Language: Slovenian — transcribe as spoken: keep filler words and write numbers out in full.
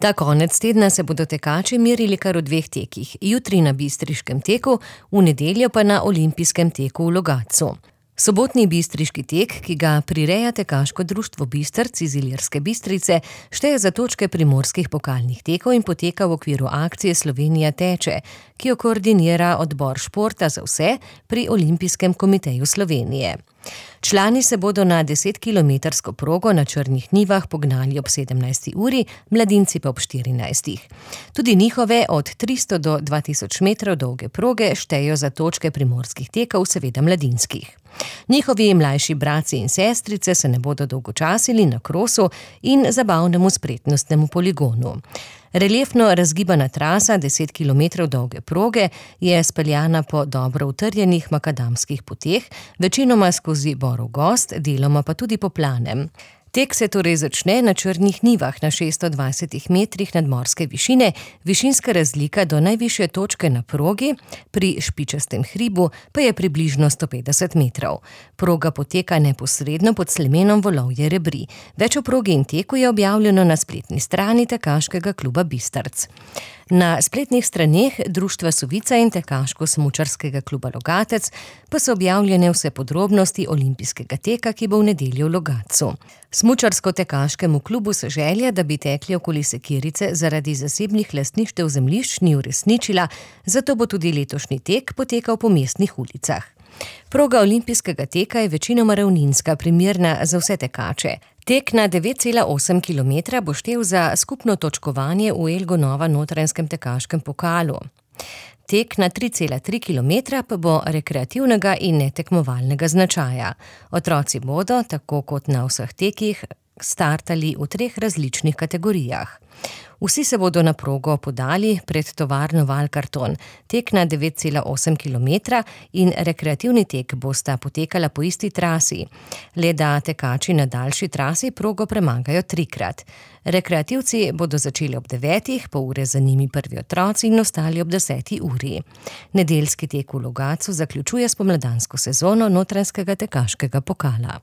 Ta konec tedna se bodo tekači merili kar v dveh tekih, jutri na bistriškem teku, v nedeljo pa na olimpijskem teku v Logatcu. Sobotni bistriški tek, ki ga prireja Tekaško društvo Bistrc iz Ilirske Bistrice, šteje za točke primorskih pokalnih tekov in poteka v okviru akcije Slovenija teče, ki jo koordinira Odbor športa za vse pri Olimpijskem komiteju Slovenije. Člani se bodo na desetkilometrsko progo na Črnih Njivah pognali ob sedemnajsti uri, mladinci pa ob štirinajstih. Tudi njihove od tristo do dva tisoč metrov dolge proge štejejo za točke primorskih tekov, seveda mladinskih. Njihovi mlajši bratci in sestrice se ne bodo dolgočasili na krosu in zabavnemu spretnostnemu poligonu. Reliefno razgibana trasa deset kilometrov dolge proge je speljana po dobro utrjenih makadamskih poteh, večinoma skozi borov gozd, deloma pa tudi po planem. Tek se torej začne na Črnih Njivah na šeststo dvajsetih metrih nadmorske višine, višinska razlika do najvišje točke na progi, pri Špičastem hribu, pa je približno sto petdeset metrov. Proga poteka neposredno pod slemenom Volovje Rebri. Več o progi in teku je objavljeno na spletni strani Tekaškega kluba Bistrc. Na spletnih straneh Društva Sovica in Tekaško-smučarskega kluba Logatec pa so objavljene vse podrobnosti olimpijskega teka, ki bo v nedeljo v Logatcu. Smučarsko-tekaškemu klubu se želja, da bi tekli okoli Sekirice, zaradi zasebnih lastništev zemljišč ni uresničila, zato bo tudi letošnji tek potekal po mestnih ulicah. Proga olimpijskega teka je večinoma ravninska, primerna za vse tekače. Tek na devet cela osem kilometra bo štel za skupno točkovanje v Elgonova Notranjskem tekaškem pokalu. Tek na tri cela tri kilometra pa bo rekreativnega in netekmovalnega značaja. Otroci bodo, tako kot na vseh tekih, startali v treh različnih kategorijah. Vsi se bodo na progo podali pred tovarno Valkarton. Tek na devet cela osem kilometra in rekreativni tek bosta potekala po isti trasi. Le da tekači na daljši trasi progo premagajo trikrat. Rekreativci bodo začeli ob devetih, pol ure za njimi prvi otroci in ostali ob deseti uri. Nedeljski tek v Logatcu zaključuje spomladansko sezono Notranjskega tekaškega pokala.